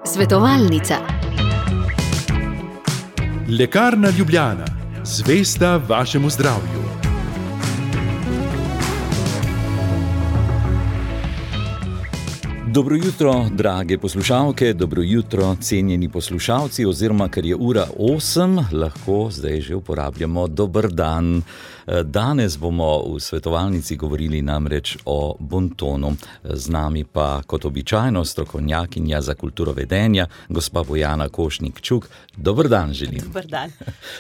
Svetovalnica. Lekarna Ljubljana, zvesta vašemu zdravju. Dobro jutro, drage poslušalke, dobro jutro, cenjeni poslušalci, oziroma ker je ura 8, lahko zdaj že uporabljamo dober dan. Danes bomo v svetovalnici govorili namreč o bontonu. Z nami pa kot običajno strokovnjakinja za kulturo vedenja, gospa Bojana Košnik-Čuk. Dober dan želim. Dober dan.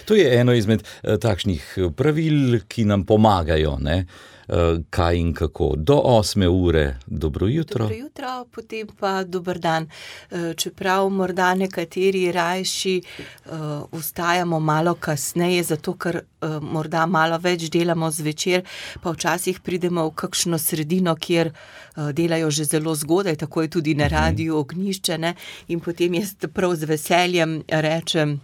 To je eno izmed takšnih pravil, ki nam pomagajo, ne? Kaj in kako. Do 8 ure dobro jutro. Dobro jutro, potem pa dober dan. Čeprav morda nekateri rajši vstajamo malo kasneje, zato ker morda malo več delamo zvečer, pa včasih pridemo v kakšno sredino, kjer delajo že zelo zgodaj, tako je tudi na radiju Ognjišče, ne? In potem jaz prav z veseljem rečem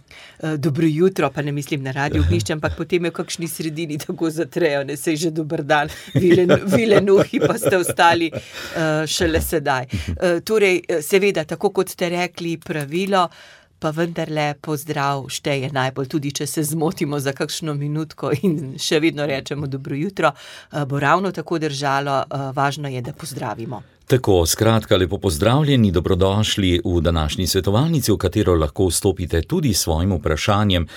dobro jutro, pa ne mislim na radiju Ognjišče, ampak potem je v kakšni sredini tako zatrejo, ne, sej že dober dan. Vilenuhi pa ste ostali šele sedaj. Torej, seveda, tako kot ste rekli, pravilo, pa vendarle pozdrav šteje najbolj, tudi če se zmotimo za kakšno minutko in še vedno rečemo dobro jutro, bo ravno tako držalo, važno je, da pozdravimo. Tako, skratka, lepo pozdravljeni, dobrodošli v današnji svetovalnici, v katero lahko vstopite tudi s svojim vprašanjem,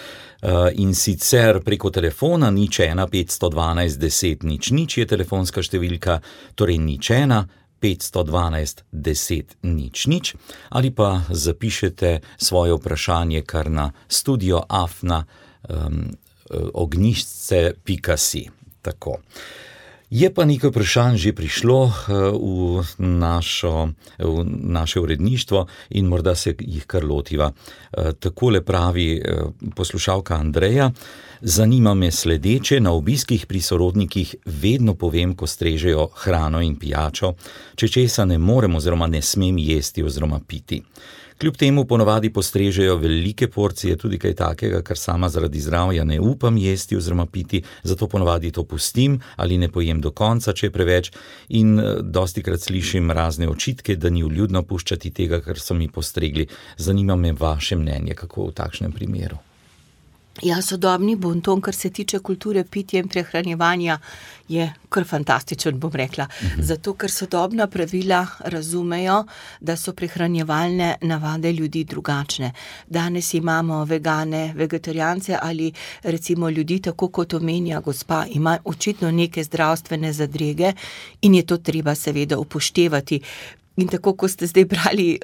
in sicer preko telefona 01 512 10 00 je telefonska številka, torej 01 512 10 00, ali pa zapišete svoje vprašanje kar na studio@ognjišče.si. Tako. Je pa nekaj vprašanj že prišlo v naše uredništvo in morda se jih kar lotiva. Takole pravi poslušalka Andreja: zanima me sledeče, na obiskih pri sorodnikih vedno povem, ko strežejo hrano in pijačo, če česa ne morem oziroma ne smem jesti oziroma piti. Kljub temu ponavadi postrežejo velike porcije, tudi kaj takega, kar sama zaradi zdravja ne upam jesti oziroma piti, zato ponavadi to pustim ali ne pojem do konca, če je preveč, in dostikrat slišim razne očitke, da ni vljudno puščati tega, kar so mi postregli. Zanima me vaše mnenje, kako v takšnem primeru. Ja, sodobni bonton, kar se tiče kulture pitja in prehranjevanja, je kar fantastičen, bom rekla. Zato, ker sodobna pravila razumejo, da so prehranjevalne navade ljudi drugačne. Danes imamo vegane, vegetarijance ali recimo ljudi, tako kot omenja gospa, ima očitno neke zdravstvene zadrege in je to treba seveda upoštevati. In tako, ko ste zdaj brali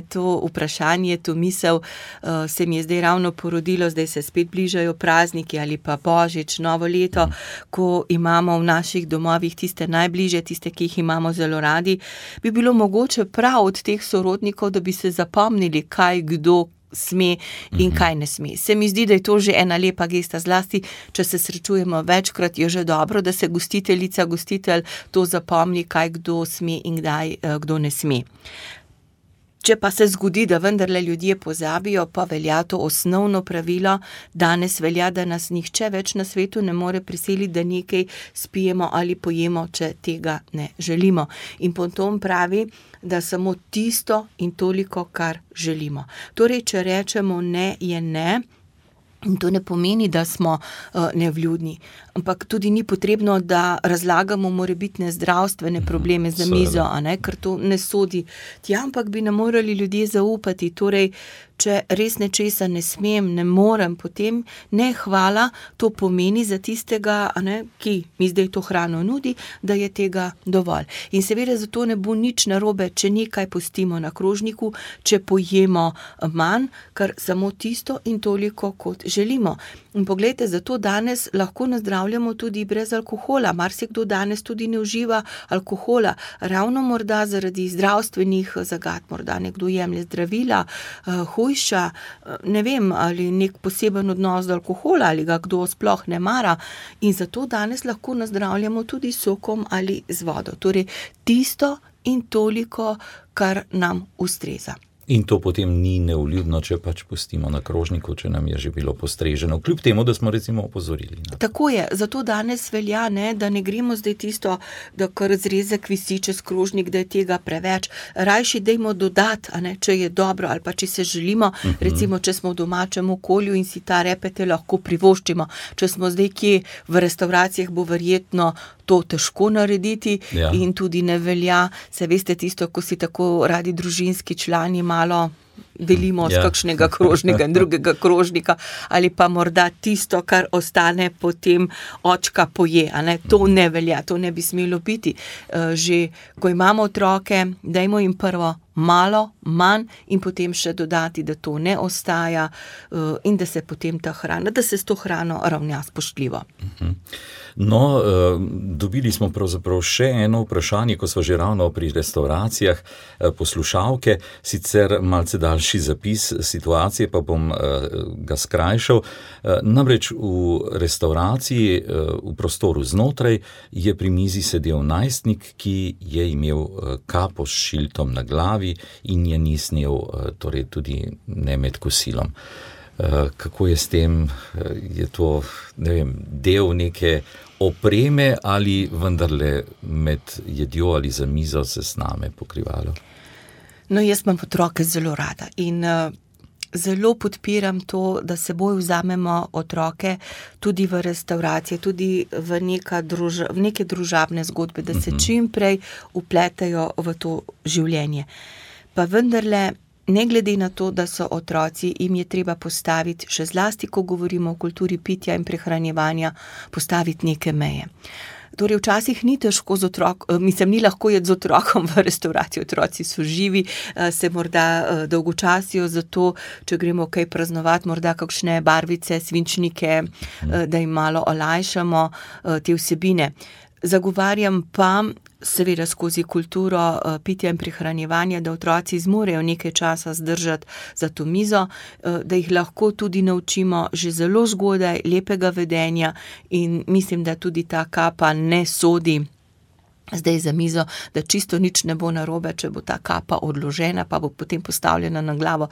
to vprašanje, to misel, se mi je zdaj ravno porodilo, zdaj se spet bližajo prazniki ali pa Božič, novo leto, ko imamo v naših domovih tiste najbližje, tiste, ki jih imamo zelo radi, bi bilo mogoče prav od teh sorodnikov, da bi se zapomnili, kaj kdo sme in kaj ne sme. Se mi zdi, da je to že ena lepa gesta, zlasti, če se srečujemo večkrat, je že dobro, da se gostiteljica, gostitelj to zapomni, kaj kdo sme in kdaj kdo ne sme. Če pa se zgodi, da vendarle ljudje pozabijo, pa velja to osnovno pravilo, danes velja, da nas nihče več na svetu ne more prisiliti, da nekaj spijemo ali pojemo, če tega ne želimo. In potom pravi, da samo tisto in toliko, kar želimo. Torej, če rečemo ne, je ne. In to ne pomeni, da smo nevljudni, ampak tudi ni potrebno, da razlagamo morebitne zdravstvene probleme za mizo, ker to ne sodi tja, ampak bi nam morali ljudje zaupati. Torej, če res nečesa ne smem, ne morem, potem ne hvala, to pomeni za tistega, ki mi zdaj to hrano nudi, da je tega dovolj. In seveda zato ne bo nič narobe, če nekaj pustimo na krožniku, če pojemo manj, kar samo tisto in toliko, kot želimo. In poglejte, zato danes lahko nazdravljamo tudi brez alkohola. Marsikdo danes tudi ne uživa alkohola, ravno morda zaradi zdravstvenih zagat, morda nekdo jemlje zdravila, hujša, ne vem, ali nek poseben odnos do alkohola, ali ga kdo sploh ne mara. In zato danes lahko nazdravljamo tudi sokom ali z vodo. Torej, tisto in toliko, kar nam ustreza. In to potem ni nevljudno, če pač pustimo na krožniku, če nam je že bilo postreženo, kljub temu, da smo recimo opozorili. Tako je, zato danes velja, da ne gremo zdaj tisto, da kar zrezek visi čez krožnik, da je tega preveč. Rajši dajmo dodati, če je dobro ali pa če se želimo, recimo, če smo v domačem okolju in si ta repete lahko privoščimo. Če smo zdaj kje v restauracijah, bo verjetno to težko narediti in tudi ne velja. Se veste tisto, ko si tako radi družinski člani malo delimo z kakšnega krožnika in drugega krožnika ali pa morda tisto, kar ostane potem očka poje. To ne velja, to ne bi smelo biti. Že ko imamo otroke, dajmo jim prvo malo, manj in potem še dodati, da to ne ostaja in da se potem ta hrana, da se s to hrano ravna spoštljivo. No, dobili smo pravzaprav še eno vprašanje, ko smo že ravno pri restauracijah, poslušalke, sicer malce daljši zapis situacije, pa bom ga skrajšal. Namreč v restauraciji, v prostoru znotraj, je pri mizi sedel najstnik, ki je imel kapo s šiltom na glavi in je ni snel, torej tudi ne med kosilom. Kako je s tem, je to, ne vem, del neke opreme ali vendarle med jedjo ali za mizo se sname pokrivalo? No, jaz imam otroke zelo rada in zelo podpiram to, da seboj vzamemo otroke tudi v restauracije, tudi v neke družabne zgodbe, da se čim prej vpletajo v to življenje. Pa vendarle, ne glede na to, da so otroci, jim je treba postaviti, še zlasti, ko govorimo o kulturi pitja in prehranjevanja, postaviti neke meje. Torej, včasih ni težko ni lahko jeti z otrokom v restavraciji, otroci so živi, se morda dolgočasijo, zato, če gremo kaj praznovati, morda kakšne barvice, svinčnike, da jim malo olajšamo te vsebine. Zagovarjam pa, seveda skozi kulturo pitja in prehranjevanja, da otroci zmorejo nekaj časa zdržati za to mizo, da jih lahko tudi naučimo že zelo zgodaj lepega vedenja in mislim, da tudi ta kapa ne sodi zdaj za mizo, da čisto nič ne bo narobe, če bo ta kapa odložena, pa bo potem postavljena na glavo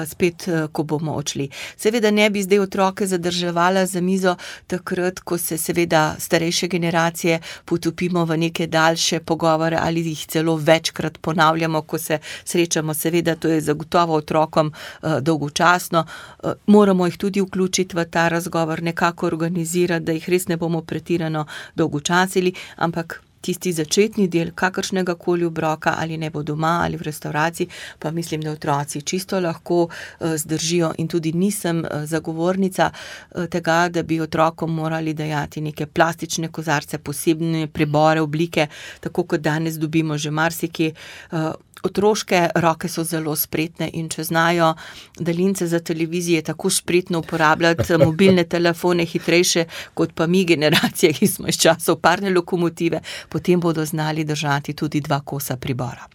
spet, ko bomo odšli. Seveda ne bi zdaj otroke zadrževala za mizo takrat, ko se seveda starejše generacije potopimo v neke daljše pogovore ali jih celo večkrat ponavljamo, ko se srečamo. Seveda to je zagotovo otrokom dolgočasno. Moramo jih tudi vključiti v ta razgovor, nekako organizirati, da jih res ne bomo pretirano dolgočasili, ampak tisti začetni del kakršnega koli obroka, ali ne bo doma ali v restavraciji, pa mislim, da otroci čisto lahko zdržijo in tudi nisem zagovornica tega, da bi otrokom morali dajati neke plastične kozarce, posebne pribore, oblike, tako kot danes dobimo že marsikje. Otroške roke so zelo spretne in če znajo daljince za televizije tako spretno uporabljati, mobilne telefone hitrejše kot pa mi generacije, ki smo iz časov parne lokomotive, potem bodo znali držati tudi 2 kosa pribora.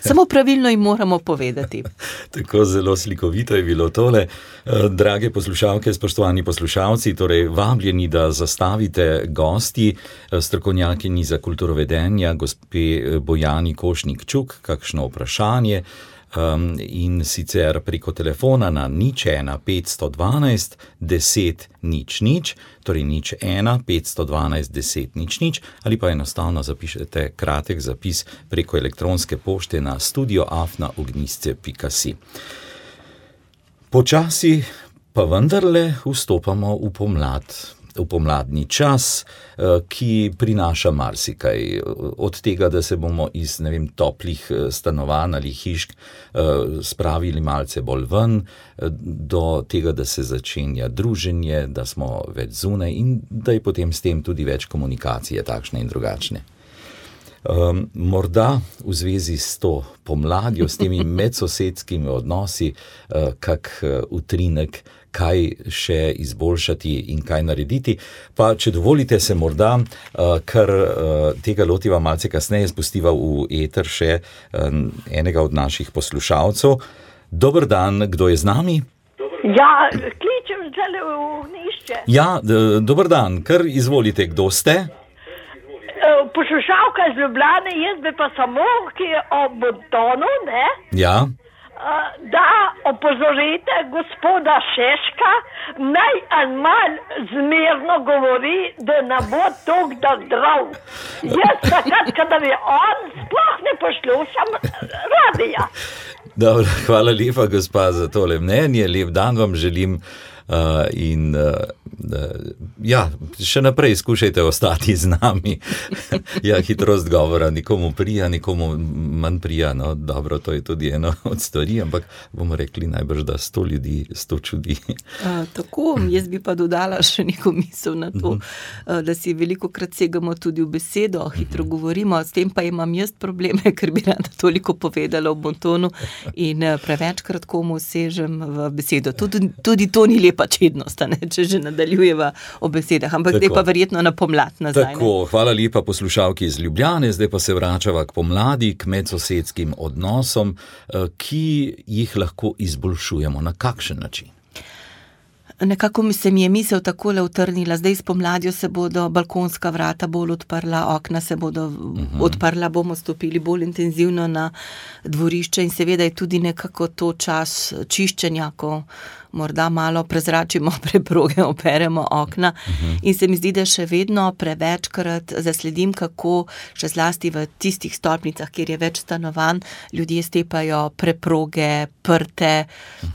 Samo pravilno jim moramo povedati. Tako zelo slikovito je bilo tole. Drage poslušalke, spoštovani poslušalci, torej vabljeni, da zastavite gosti, strokovnjakinji za kulturovedenja, gospe Bojani Košnik-Čuk, kakšno vprašanje, in sicer preko telefona na 01 512 10 00, torej 01 512 10 00, ali pa enostavno zapišete kratek zapis preko elektronske pošte na studio@ognisce.si. Počasi pa vendarle vstopamo v pomladni čas, ki prinaša marsikaj. Od tega, da se bomo iz, toplih stanovanj ali hišk spravili malce bolj ven, do tega, da se začenja druženje, da smo več zunaj in da je potem s tem tudi več komunikacije takšne in drugačne. Morda v zvezi s to pomladjo, s temi medsosedskimi odnosi, kak utrinek, kaj še izboljšati in kaj narediti. Pa, če dovolite, se morda, kar tega lotiva malce kasneje, spustiva v eter še enega od naših poslušalcev. Dober dan, kdo je z nami? Ja, kličem zdaj v Ognjišče. Ja, dober dan, kar izvolite, kdo ste? Poslušalka iz Ljubljane, jaz bi pa samo, ki je o bontonu, ne? Ja. da opozorite gospoda Šeška, naj mal zmerno govori, da ne bo toliko da zdrav. Jaz takrat, kadar je on, sploh ne poslušam radija. Dobro, hvala lepa, gospa, za tole mnenje. Lep dan vam želim. Še naprej skušajte ostati z nami. Hitrost govora nikomu prija, nikomu manj prija. No, dobro, to je tudi eno od stvari, ampak bomo rekli najbrž, da 100 ljudi 100 čudi. Tako, jaz bi pa dodala še neko misel na to, da si velikokrat segamo tudi v besedo, hitro govorimo, s tem pa imam jaz probleme, ker bi rada toliko povedala v bontonu in prevečkrat komu sežem v besedo. Tudi to ni lepa čednost, če že nadaljujeva o besedah, ampak zdaj pa verjetno na pomlad nazaj. Tako, hvala lepa poslušalki iz Ljubljane, zdaj pa se vračava k pomladi, k medsosedskim odnosom, ki jih lahko izboljšujemo. Na kakšen način? Nekako se mi je misel takole utrnila, zdaj s pomladjo se bodo balkonska vrata bolj odprla, okna se bodo odprla, bomo stopili bolj intenzivno na dvorišče in seveda je tudi nekako to čas čiščenja, ko morda malo prezračimo preproge, operemo okna in se mi zdi, da še vedno prevečkrat zasledim, kako še zlasti v tistih stolpnicah, kjer je več stanovanj, ljudje stepajo preproge, prte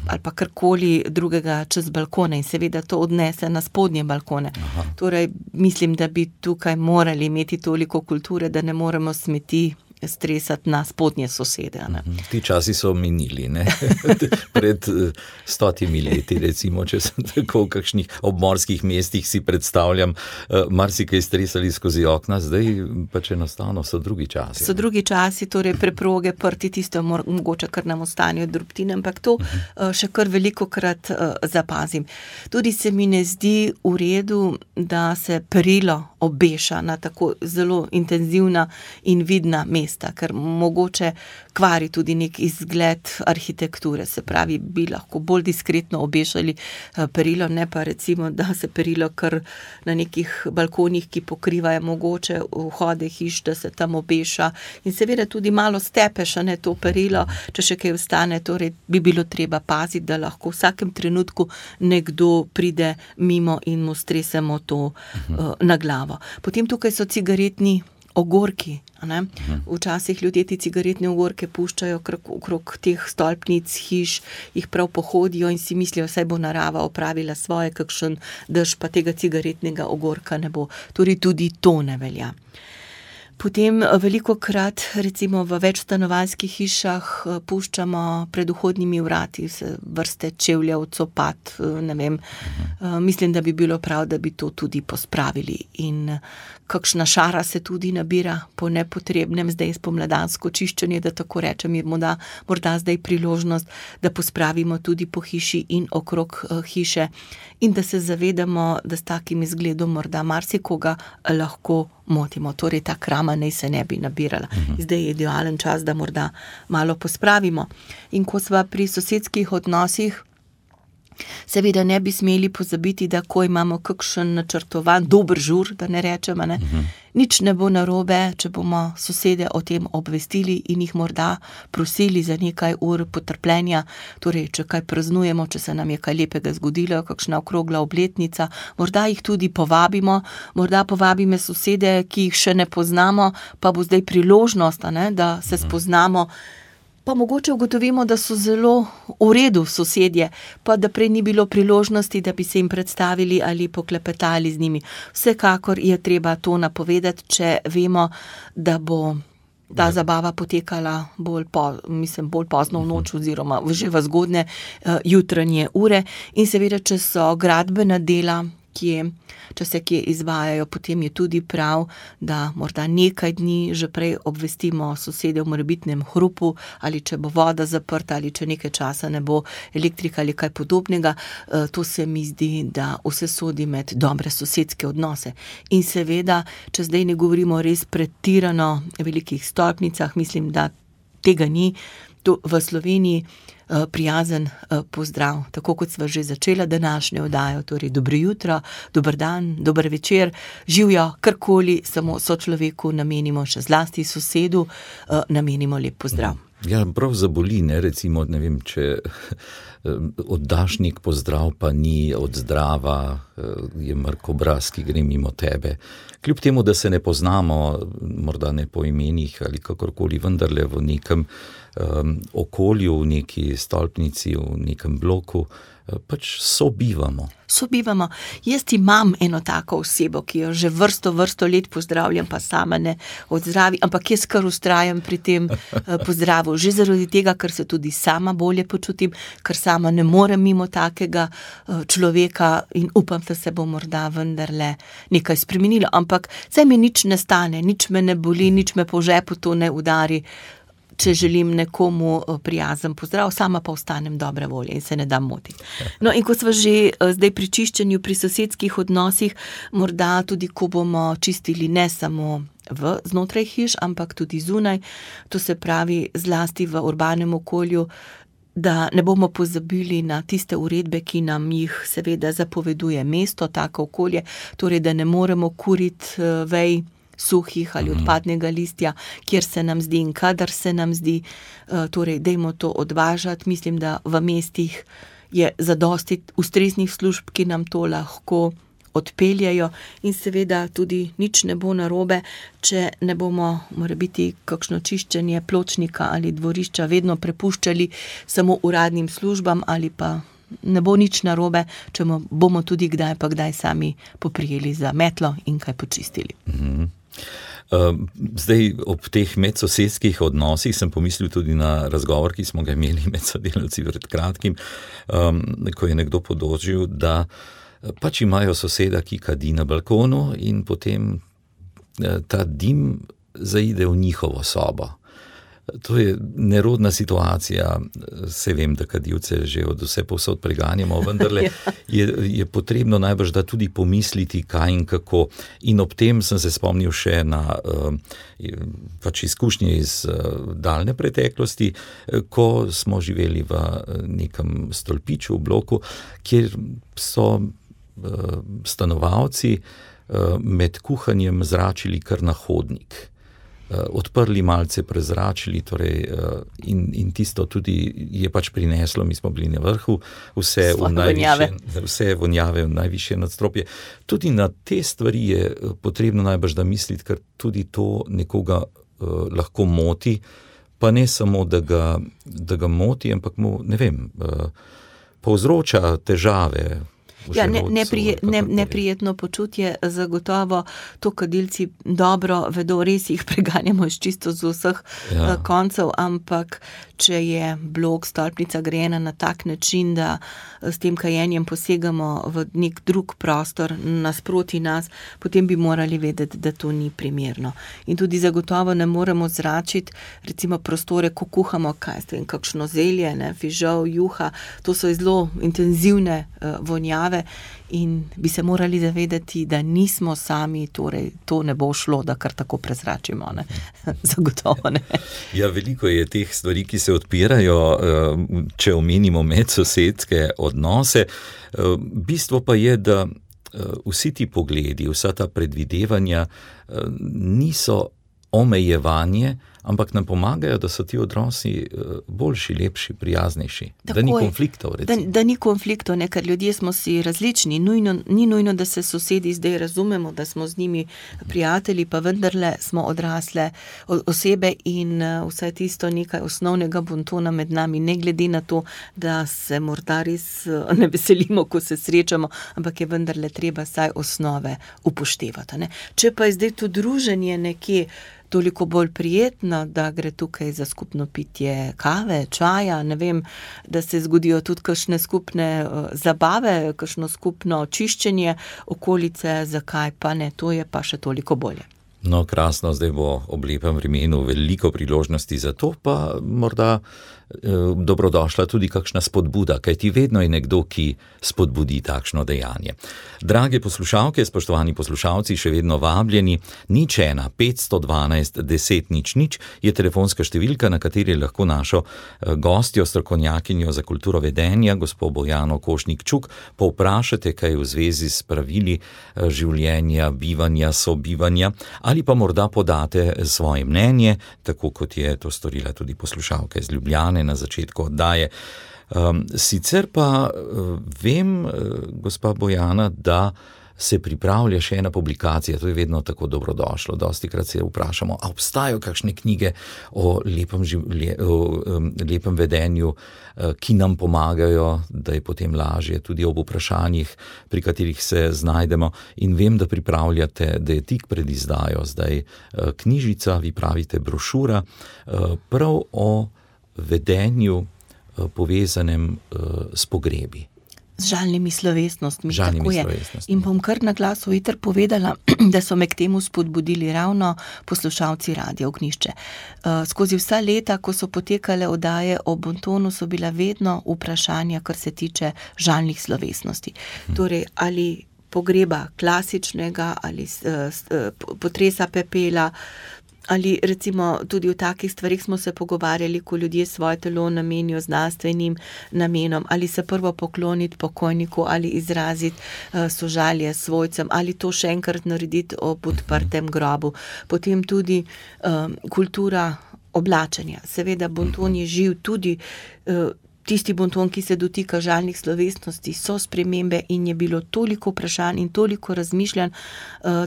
ali pa karkoli drugega čez balkone in seveda to odnese na spodnje balkone. Torej, mislim, da bi tukaj morali imeti toliko kulture, da ne moremo smeti stresati na spodnje sosede. Ne? Ti časi so minili, ne? Pred 100 leti, recimo, če sem tako v kakšnih obmorskih mestih si predstavljam, marsikaj stresali skozi okna, zdaj pač enostavno so drugi časi. So drugi časi, torej preproge, prti, tisto mogoče, kar nam ostanejo drobtine, ampak to še kar velikokrat zapazim. Tudi se mi ne zdi v redu, da se perilo obeša na tako zelo intenzivna in vidna mesta, ker mogoče kvari tudi nek izgled arhitekture, se pravi, bi lahko bolj diskretno obešali perilo, ne pa recimo, da se perilo kar na nekih balkonih, ki pokrivajo mogoče vhode hiš, da se tam obeša in seveda tudi malo stepeš, ne, to perilo, če še kaj ostane, torej bi bilo treba paziti, da lahko v vsakem trenutku nekdo pride mimo in mu stresemo to na glavo. Potem tukaj so cigaretni ogorki. Ne? Včasih ljudje ti cigaretne ogorke puščajo okrog teh stolpnic, hiš, jih prav pohodijo in si mislijo, saj bo narava opravila svoje, kakšen dež, pa tega cigaretnega ogorka ne bo. Torej tudi to ne velja. Potem velikokrat, recimo v večstanovanjskih hišah, puščamo pred vhodnimi vrati vrste čevljev, copat, ne vem. Mislim, da bi bilo prav, da bi to tudi pospravili. In kakšna šara se tudi nabira po nepotrebnem, zdaj spomladansko čiščenje, da tako rečem, je morda zdaj priložnost, da pospravimo tudi po hiši in okrog hiše in da se zavedamo, da s takim izgledom morda marsikoga lahko motimo. Torej ta krama naj se ne bi nabirala. Zdaj je idealen čas, da morda malo pospravimo. In ko sva pri sosedskih odnosih, seveda ne bi smeli pozabiti, da ko imamo kakšen načrtovan dober žur, da ne rečemo, ne, nič ne bo narobe, če bomo sosede o tem obvestili in jih morda prosili za nekaj ur potrpljenja, torej, če kaj praznujemo, če se nam je kaj lepega zgodilo, kakšna okrogla obletnica, morda jih tudi povabimo, morda povabimo sosede, ki jih še ne poznamo, pa bo zdaj priložnost, ne, da se spoznamo, pa mogoče ugotovimo, da so zelo v redu sosedje, pa da prej ni bilo priložnosti, da bi se jim predstavili ali poklepetali z njimi. Vsekakor je treba to napovedati, če vemo, da bo ta zabava potekala bolj pozno v noč oziroma že v zgodne jutranje ure in seveda, če so gradbena dela, če se kje izvajajo, potem je tudi prav, da morda nekaj dni že prej obvestimo sosede v morebitnem hrupu ali če bo voda zaprta ali če nekaj časa ne bo elektrika ali kaj podobnega. To se mi zdi, da vse sodi med dobre sosedske odnose. In seveda, če zdaj ne govorimo o res pretirano velikih stolpnicah, mislim, da tega ni. V Sloveniji prijazen pozdrav, tako kot sva že začela današnjo oddajo, torej dobro jutro, dober dan, dober večer, živjo, karkoli, samo sočloveku namenimo, še zlasti sosedu, namenimo lep pozdrav. Ja, prav zaboli, ne, recimo, ne vem, če oddaš nek pozdrav, pa ni od zdrava, je mrk obraz, ki gre mimo tebe. Kljub temu, da se ne poznamo, morda ne po imenih ali kakorkoli, vendarle v nekem okolju, v neki stolpnici, v nekem bloku, pač sobivamo. Sobivamo. Jaz imam eno tako osebo, ki jo že vrsto let pozdravljam, pa sama ne odzdravi, ampak jaz kar vztrajam pri tem pozdravu. Že zaradi tega, ker se tudi sama bolje počutim, ker sama ne morem mimo takega človeka in upam, da se bo morda vendarle nekaj spremenilo. Ampak saj mi nič ne stane, nič me ne boli, nič me po žepu to ne udari, če želim nekomu prijazen pozdrav, sama pa ostanem dobre volje in se ne dam motiti. No, in ko smo že zdaj pri čiščenju, pri sosedskih odnosih, morda tudi, ko bomo čistili ne samo znotraj hiš, ampak tudi zunaj, to se pravi zlasti v urbanem okolju, da ne bomo pozabili na tiste uredbe, ki nam jih seveda zapoveduje mesto, tako okolje, torej, da ne moremo kuriti vej suhih ali odpadnega listja, kjer se nam zdi in kadar se nam zdi, torej dajmo to odvažati. Mislim, da v mestih je zadosti ustreznih služb, ki nam to lahko odpeljajo in seveda tudi nič ne bo narobe, če ne bomo morebiti kakšno čiščenje pločnika ali dvorišča vedno prepuščali samo uradnim službam ali pa ne bo nič narobe, če bomo tudi kdaj sami poprijeli za metlo in kaj počistili. Zdaj, ob teh medsosedskih odnosih sem pomislil tudi na razgovor, ki smo ga imeli med sodelavci pred kratkim, ko je nekdo podožil, da pač imajo soseda, ki kadi na balkonu in potem ta dim zaide v njihovo sobo. To je nerodna situacija, se vem, da kadilce že od vse povsod preganjamo, vendarle je potrebno najbrž da tudi pomisliti, kaj in kako. In ob tem sem se spomnil še na pač izkušnje iz daljne preteklosti, ko smo živeli v nekem stolpiču v bloku, kjer so stanovalci med kuhanjem zračili kar na hodnik. Odprli, malce prezračili, torej, in tisto tudi je pač prineslo, mi smo bili na vrhu, vse vonjave v najvišje nadstropje. Tudi na te stvari je potrebno najbrž da misliti, ker tudi to nekoga lahko moti, pa ne samo, da ga moti, ampak mu, ne vem, povzroča težave. Ja, neprijetno počutje, zagotovo to kadilci dobro vedo, res jih preganjamo čisto z vseh koncev, ampak če je blok, stolpnica grejena na tak način, da s tem kajenjem posegamo v nek drug prostor nasproti nas, potem bi morali vedeti, da to ni primerno. In tudi zagotovo ne moremo zračiti, recimo prostore, ko kuhamo, kakšno zelje, fižol, juha, to so zelo intenzivne vonjave, in bi se morali zavedati, da nismo sami, torej to ne bo šlo, da kar tako prezračimo, ne? Zagotovo ne. Ja, veliko je teh stvari, ki se odpirajo, če omenimo medsosedske odnose. Bistvo pa je, da vsi ti pogledi, vsa ta predvidevanja niso omejevanje, ampak nam pomagajo, da so ti odnosi boljši, lepši, prijaznejši. Tako da ni konfliktov, recimo. Da ni konfliktov, ne, ker ljudje smo si različni. Ni nujno, da se sosedi zdaj razumemo, da smo z njimi prijatelji, pa vendarle smo odrasle osebe in vse tisto nekaj osnovnega bontona med nami, ne glede na to, da se morda res ne veselimo, ko se srečamo, ampak je vendarle treba saj osnove upoštevati, ne. Če pa je zdaj to druženje nekje toliko bolj prijetno, da gre tukaj za skupno pitje kave, čaja, ne vem, da se zgodijo tudi kakšne skupne zabave, kakšno skupno čiščenje okolice, zakaj pa ne, to je pa še toliko bolje. No, krasno, zdaj bo ob lepem vremenu veliko priložnosti za to, pa morda dobrodošla tudi kakšna spodbuda, kajti vedno je nekdo, ki spodbudi takšno dejanje. Drage poslušalke, spoštovani poslušalci, še vedno vabljeni, 01 512 10 00 je telefonska številka, na kateri lahko našo gostjo, strokovnjakinjo za kulturo vedenja, gospo Bojano Košnik-Čuk, povprašate kaj v zvezi s pravili življenja, bivanja, sobivanja, ali pa morda podate svoje mnenje, tako kot je to storila tudi poslušalka iz Ljubljane na začetku oddaje. Sicer pa vem, gospa Bojana, da se pripravlja še ena publikacija, to je vedno tako dobrodošlo. Dostikrat se vprašamo, a obstajajo kakšne knjige o lepem vedenju, ki nam pomagajo, da je potem lažje tudi ob vprašanjih, pri katerih se znajdemo. In vem, da pripravljate, da je tik pred izdajo zdaj knjižica, vi pravite brošura, prav o vedenju povezanem s pogrebi. Z žalnimi slovesnostmi, tako je. In bom kar na glas v eter povedala, da so me k temu spodbudili ravno poslušalci Radia Ognjišče. Skozi vsa leta, ko so potekale oddaje o bontonu, so bila vedno vprašanja, kar se tiče žalnih slovesnosti. Torej, ali pogreba klasičnega, ali potresa pepela, ali recimo tudi o takih stvarih smo se pogovarjali, ko ljudje svoje telo namenijo znanstvenim namenom, ali se prvo pokloniti pokojniku, ali izraziti sožalje svojcem, ali to še enkrat narediti ob odprtem grobu. Potem tudi kultura oblačenja. Seveda bonton je živ, tudi tisti bonton, ki se dotika žalnih slovesnosti, so spremembe in je bilo toliko vprašanj in toliko razmišljanj,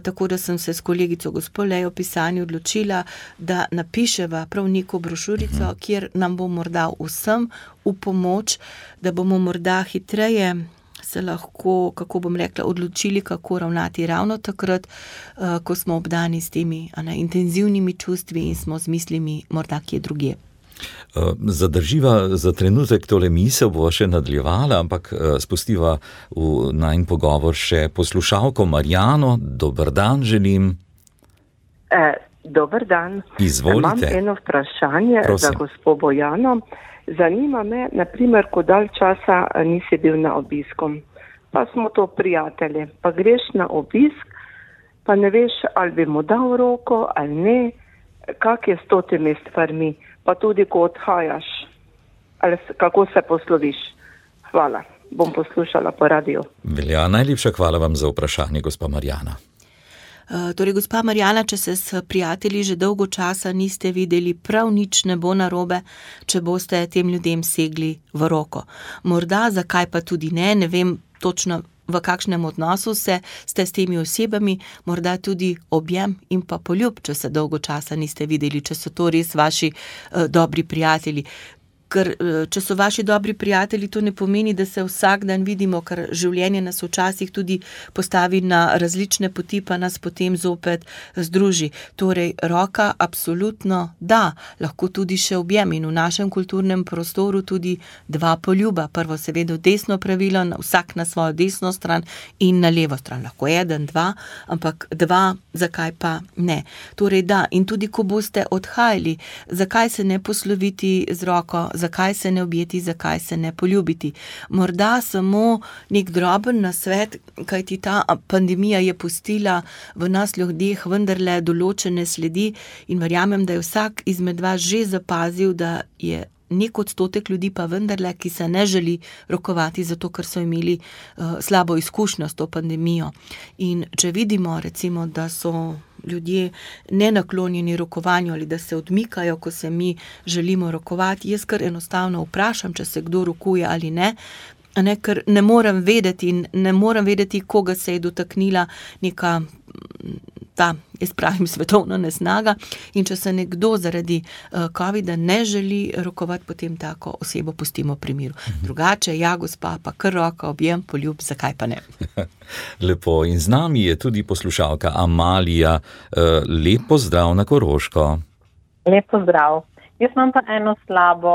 tako da sem se s kolegico gospo Lejo Pisani odločila, da napiševa prav neko brošurico, kjer nam bo morda vsem v pomoč, da bomo morda hitreje se lahko, kako bom rekla, odločili, kako ravnati ravno takrat, ko smo obdani s temi intenzivnimi čustvi in smo z mislimi morda kje drugje. Zadrživa za trenutek tole misel, bo še nadaljevala, ampak spustiva v najin pogovor še poslušalko Marjano. Dober dan želim. Dober dan. Izvolite. Imam eno vprašanje za gospo Bojano. Zanima me, naprimer, ko dalj časa nisi bil na obiskom, pa smo to prijatelji, pa greš na obisk, pa ne veš, ali bi mu dal roko ali ne, kak je s totimi stvarmi, pa tudi ko odhajaš, ali kako se posloviš. Hvala, bom poslušala po radiju. Velja, najlepša hvala vam za vprašanje, gospa Marjana. Torej, gospa Marjana, če se s prijatelji že dolgo časa niste videli, prav nič ne bo narobe, če boste tem ljudem segli v roko. Morda, zakaj pa tudi ne vem točno, v kakšnem odnosu ste s temi osebami, morda tudi objem in pa poljub, če se dolgo časa niste videli, če so to res vaši dobri prijatelji. Ker če so vaši dobri prijatelji, to ne pomeni, da se vsak dan vidimo, ker življenje nas včasih tudi postavi na različne poti, pa nas potem zopet združi. Torej, roka absolutno da, lahko tudi še objem in v našem kulturnem prostoru tudi dva poljuba. Prvo seveda desno pravilo, vsak na svojo desno stran in na levo stran. Lahko eden, dva, ampak dva, zakaj pa ne. Torej da, in tudi ko boste odhajali, zakaj se ne posloviti z roko, zakaj se ne objeti, zakaj se ne poljubiti. Morda samo nek droben nasvet, kajti ta pandemija je pustila v nas ljudeh vendarle določene sledi in verjamem, da je vsak izmed vas že zapazil, da je nek odstotek ljudi pa vendarle, ki se ne želi rokovati, zato ker so imeli slabo izkušnjo s to pandemijo. In če vidimo, recimo, da so ljudje nenaklonjeni rokovanju ali da se odmikajo, ko se mi želimo rokovati, jaz kar enostavno vprašam, če se kdo rokuje ali ne, ker ne morem vedeti, koga se je dotaknila neka ta, jaz pravim, svetovna nesnaga, in če se nekdo zaradi covida ne želi rokovati, potem tako osebo pustimo pri miru. Drugače, ja, gospa, pa kar roka, objem, poljub, zakaj pa ne? Lepo, in z nami je tudi poslušalka Amalija. Lep pozdrav na Koroško. Lep pozdrav. Jaz imam pa eno slabo,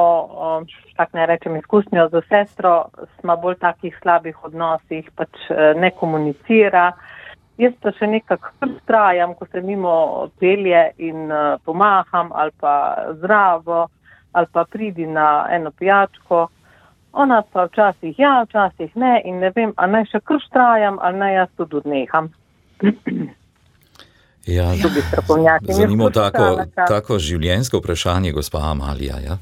tak ne rečem, izkušnjo z sestro, smo bolj takih slabih odnosih, pač ne komunicira. Jaz pa še nekako vztrajam, ko se mimo pelje in pomaham ali pa zdravo, ali pa pridi na eno pijačko. Ona pa včasih ja, včasih ne in ne vem, a naj še kar vztrajam, ali naj jaz tudi odneham. Ja, zanimivo tako življenjsko vprašanje, gospa Amalija, ja?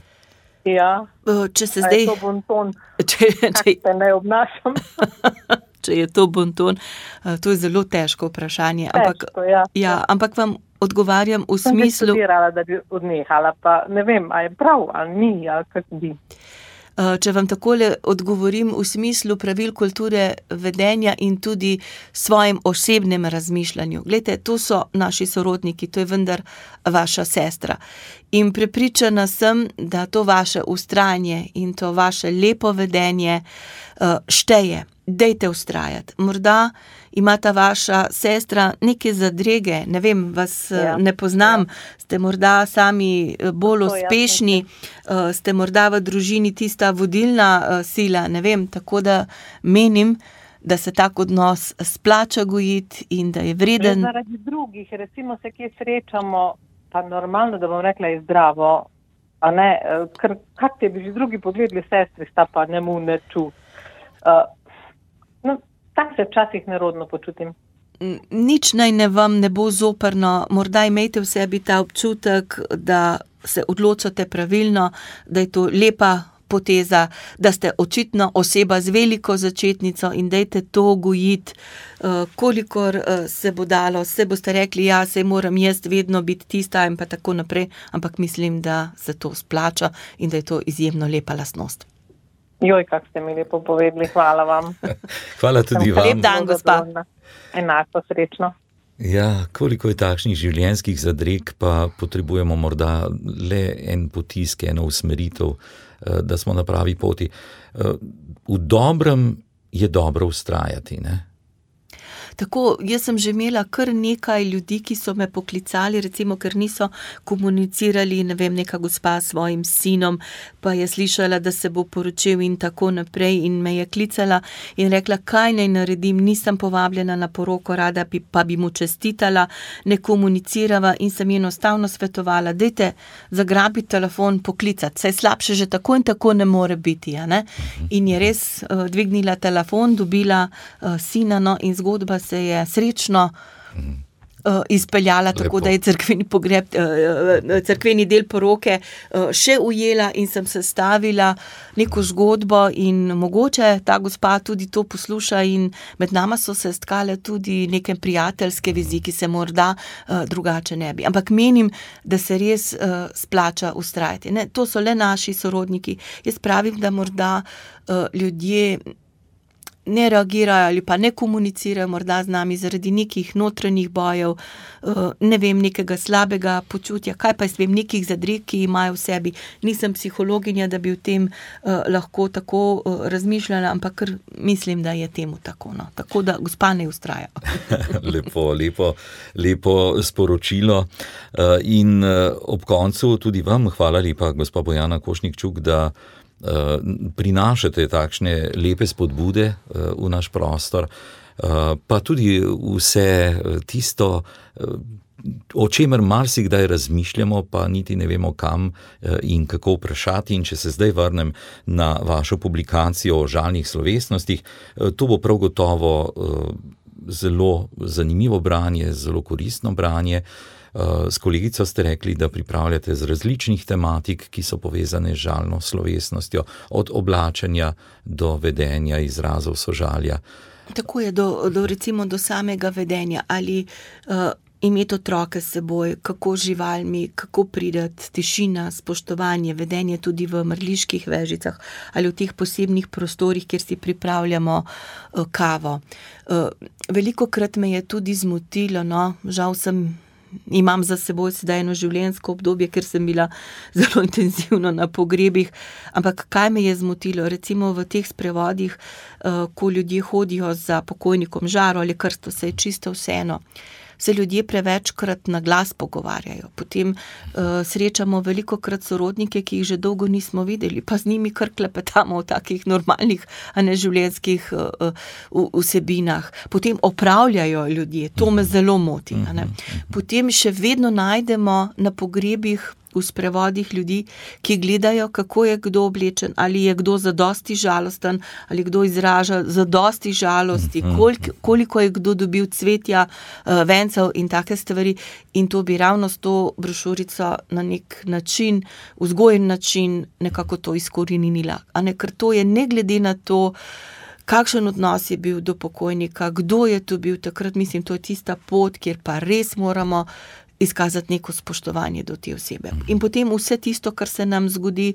Ja, če se zdaj... je to bonton, kak se ne obnašam. Če je to bonton, to je zelo težko vprašanje. Težko, ja. Ampak vam odgovarjam v smislu... Sem študirala, da bi odnehala, pa ne vem, a je prav, ali ni, ali kak bi. Če vam takole odgovorim v smislu pravil kulture vedenja in tudi svojim osebnem razmišljanju. Glejte, to so naši sorodniki, to je vendar vaša sestra. In prepričana sem, da to vaše vztrajanje in to vaše lepo vedenje šteje. Dejte vztrajati. Morda ima ta vaša sestra neke zadrege, ne vem, vas ne poznam, ste morda sami bolj uspešni, ste morda v družini tista vodilna sila, ne vem, tako da menim, da se tak odnos splača gojiti in da je vreden. Zaradi drugih, recimo se kje srečamo, pa normalno, da bom rekla, je zdravo, a ne, ker kak te bi že drugi pogledali, sestri sta pa ne mu ne ču. Tak se včasih nerodno počutim. Nič naj vam ne bo zoprno, morda imejte v sebi ta občutek, da se odločate pravilno, da je to lepa poteza, da ste očitno oseba z veliko začetnico in dajte to gojiti, kolikor se bo dalo. Se boste rekli, ja, saj moram jaz vedno biti tista in pa tako naprej, ampak mislim, da se to splača in da je to izjemno lepa lastnost. Joj, kak ste mi lepo povedali, hvala vam. Hvala tudi vam. Lep dan, gospa. Enako, srečno. Ja, koliko je takšnih življenjskih zadreg, pa potrebujemo morda le en potisk, eno usmeritev, da smo na pravi poti. V dobrem je dobro vztrajati, ne? Tako, jaz sem že imela kar nekaj ljudi, ki so me poklicali, recimo, ker niso komunicirali, ne vem, neka gospa s svojim sinom, pa je slišala, da se bo poročil in tako naprej in me je klicala in rekla, kaj naj naredim, nisem povabljena na poroko, rada pa bi mu čestitala, ne komunicirava in sem enostavno svetovala, dajte zagrabiti telefon, poklicati, saj slabše že tako in tako ne more biti, ja, ne? In je res dvignila telefon, dobila sina, no, in zgodba se je srečno izpeljala, tako da je cerkveni pogreb, cerkveni del poroke še ujela in sem sestavila neko zgodbo in mogoče ta gospa tudi to posluša in med nama so se stkale tudi neke prijateljske vezi, ki se morda drugače ne bi. Ampak menim, da se res splača vztrajati. Ne, to so le naši sorodniki. Jaz pravim, da morda ljudje ne reagirajo ali pa ne komunicirajo morda z nami zaradi nekih notranjih bojev, ne vem, nekega slabega počutja, kaj pa jaz vem, nekih zadreg, ki imajo v sebi. Nisem psihologinja, da bi o tem lahko tako razmišljala, ampak mislim, da je temu tako. No. Tako da gospa ne vztraja. Lepo sporočilo. In ob koncu tudi vam hvala lepa, gospa Bojana Košnik-Čuk, da prinašate takšne lepe spodbude v naš prostor, pa tudi vse tisto, o čemer marsikdaj razmišljamo, pa niti ne vemo kam in kako vprašati. In če se zdaj vrnem na vašo publikacijo o žalnih slovesnostih, to bo prav gotovo zelo zanimivo branje, zelo koristno branje. S kolegico ste rekli, da pripravljate z različnih tematik, ki so povezane z žalno slovesnostjo, od oblačenja do vedenja, izrazov sožalja. Tako je, recimo do samega vedenja, ali imeti otroke s seboj, kako živalmi, kako pridati, tišina, spoštovanje, vedenje tudi v mrliških vežicah ali v teh posebnih prostorih, kjer si pripravljamo kavo. Velikokrat me je tudi zmotilo, no, žal imam za seboj sedaj eno življenjsko obdobje, ker sem bila zelo intenzivno na pogrebih, ampak kaj me je zmotilo, recimo v teh sprevodih, ko ljudje hodijo za pokojnikom žaro ali krsto, se je čisto vseeno. Se ljudje prevečkrat na glas pogovarjajo. Potem srečamo velikokrat sorodnike, ki jih že dolgo nismo videli, pa z njimi kar klepetamo o takih normalnih, a ne življenjskih vsebinah. Potem opravljajo ljudje, to me zelo moti. A ne? Potem še vedno najdemo na pogrebih v sprevodih ljudi, ki gledajo, kako je kdo oblečen, ali je kdo zadosti žalosten, ali kdo izraža zadosti žalosti, koliko je kdo dobil cvetja, vencev in take stvari. In to bi ravno s to brošurico na nek način, vzgojen način, nekako to izkoreninila. Ker to je ne glede na to, kakšen odnos je bil do pokojnika, kdo je tu bil takrat, mislim, to je tista pot, kjer pa res moramo izkazati neko spoštovanje do te osebe. In potem vse tisto, kar se nam zgodi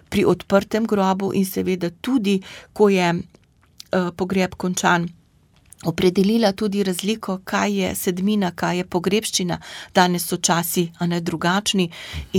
pri odprtem grobu in seveda tudi, ko je pogreb končan, opredelila tudi razliko, kaj je sedmina, kaj je pogrebščina. Danes so časi, a ne drugačni,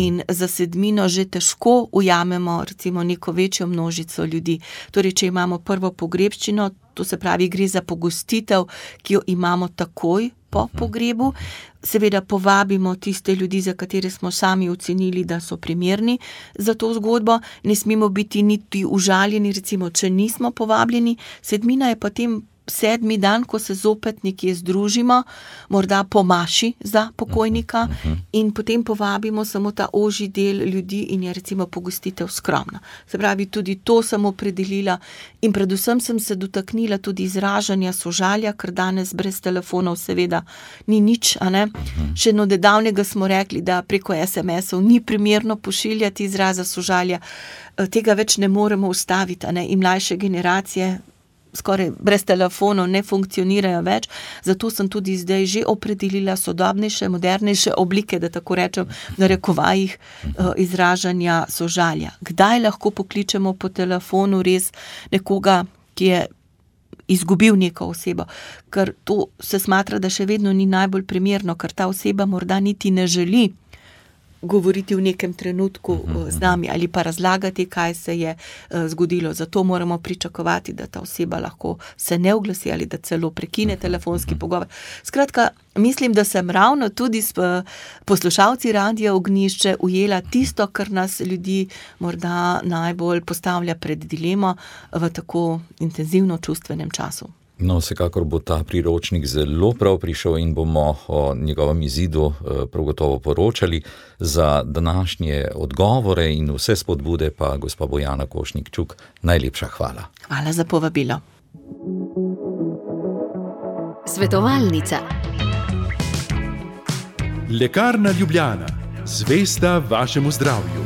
in za sedmino že težko ujamemo recimo neko večjo množico ljudi. Torej, če imamo prvo pogrebščino, to se pravi, gre za pogostitev, ki jo imamo takoj po pogrebu. Seveda povabimo tiste ljudi, za katere smo sami ocenili, da so primerni za to zgodbo. Ne smemo biti niti užaljeni, recimo, če nismo povabljeni. Sedmina je potem 7. dan, ko se zopet nekje združimo, morda po maši za pokojnika, in potem povabimo samo ta ožji del ljudi in je recimo pogostitev skromna. Se pravi, tudi to sem opredelila in predvsem sem se dotaknila tudi izražanja sožalja, ker danes brez telefonov seveda ni nič, a ne. Še nedavnega smo rekli, da preko SMS-ov ni primerno pošiljati izraza sožalja. Tega več ne moremo ustaviti, a ne, in mlajše generacije skoraj brez telefonov ne funkcionirajo več, zato sem tudi zdaj že opredelila sodobnejše, modernejše oblike, da tako rečem, v narekovajih, izražanja sožalja. Kdaj lahko pokličemo po telefonu res nekoga, ki je izgubil neko osebo, ker to se smatra, da še vedno ni najbolj primerno, ker ta oseba morda niti ne želi govoriti v nekem trenutku z nami ali pa razlagati, kaj se je zgodilo. Zato moramo pričakovati, da ta oseba lahko se ne oglasi ali da celo prekine telefonski pogovor. Skratka, mislim, da sem ravno tudi s poslušalci Radia Ognjišče ujela tisto, kar nas ljudi morda najbolj postavlja pred dilemo v tako intenzivno čustvenem času. No, vsekakor bo ta priročnik zelo prav prišel in bomo o njegovem izidu prav gotovo poročali. Za današnje odgovore in vse spodbude pa gospa Bojana Košnik-Čuk, najlepša hvala. Hvala za povabilo. Svetovalnica. Lekarna Ljubljana. Zvesta vašemu zdravju.